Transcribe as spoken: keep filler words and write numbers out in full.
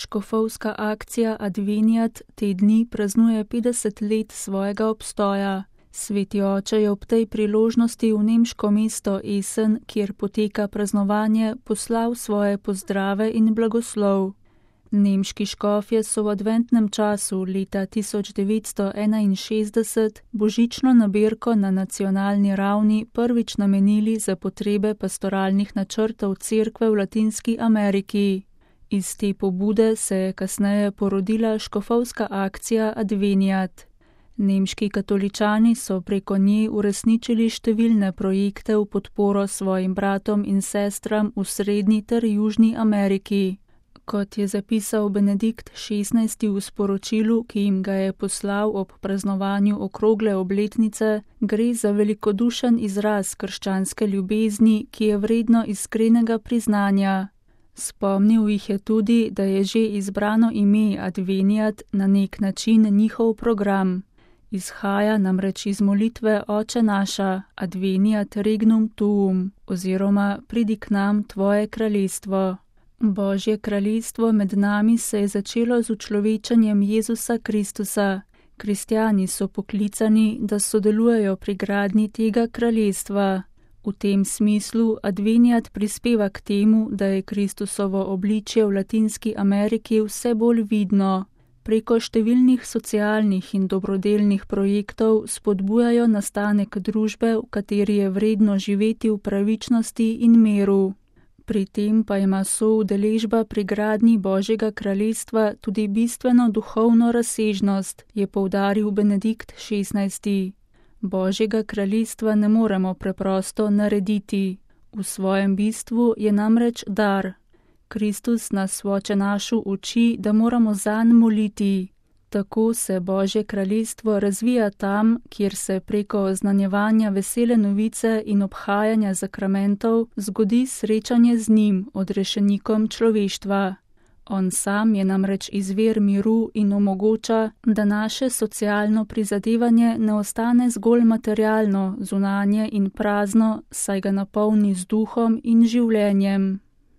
škofovska akcija Adveniat te dni praznuje petdeset let svojega obstoja. Sveti oče je ob tej priložnosti v nemško mesto Essen, kjer poteka praznovanje, poslal svoje pozdrave in blagoslov. Nemški škofje so v adventnem času leta tisoč devetsto enainšestdeset božično nabirko na nacionalni ravni prvič namenili za potrebe pastoralnih načrtov cerkve v Latinski Ameriki. Iz te pobude se je kasneje porodila škofovska akcija Adveniat. Nemški katoličani so preko nje uresničili številne projekte v podporo svojim bratom in sestram v Srednji ter Južni Ameriki. Kot je zapisal Benedikt šestnajsti v sporočilu, ki jim ga je poslal ob praznovanju okrogle obletnice, gre za velikodušen izraz krščanske ljubezni, ki je vredno iskrenega priznanja. Spomnil jih je tudi, da je že izbrano ime Adveniat na nek način njihov program. Izhaja namreč iz molitve Oče naša, Adveniat regnum tuum, oziroma pridi k nam tvoje kraljestvo. Božje kraljestvo med nami se je začelo z učlovečenjem Jezusa Kristusa. Kristjani so poklicani, da sodelujejo pri gradnji tega kraljestva. V tem smislu Adveniat prispeva k temu, da je Kristusovo obličje v Latinski Ameriki vse bolj vidno. Preko številnih socialnih in dobrodelnih projektov spodbujajo nastanek družbe, v kateri je vredno živeti v pravičnosti in miru. Pri tem pa ima soudeležba pri gradnji Božjega kraljestva tudi bistveno duhovno razsežnost, je poudaril Benedikt šestnajsti. Božjega kraljestva ne moremo preprosto narediti. V svojem bistvu je namreč dar. Kristus nas v Oče našu uči, da moramo zanj moliti. Tako se Božje kraljestvo razvija tam, kjer se preko oznanjevanja vesele novice in obhajanja zakramentov zgodi srečanje z njim, odrešenikom človeštva. On sam je namreč izvir miru in omogoča, da naše socialno prizadevanje ne ostane zgolj materialno, zunanje in prazno, saj ga napolni z duhom in življenjem.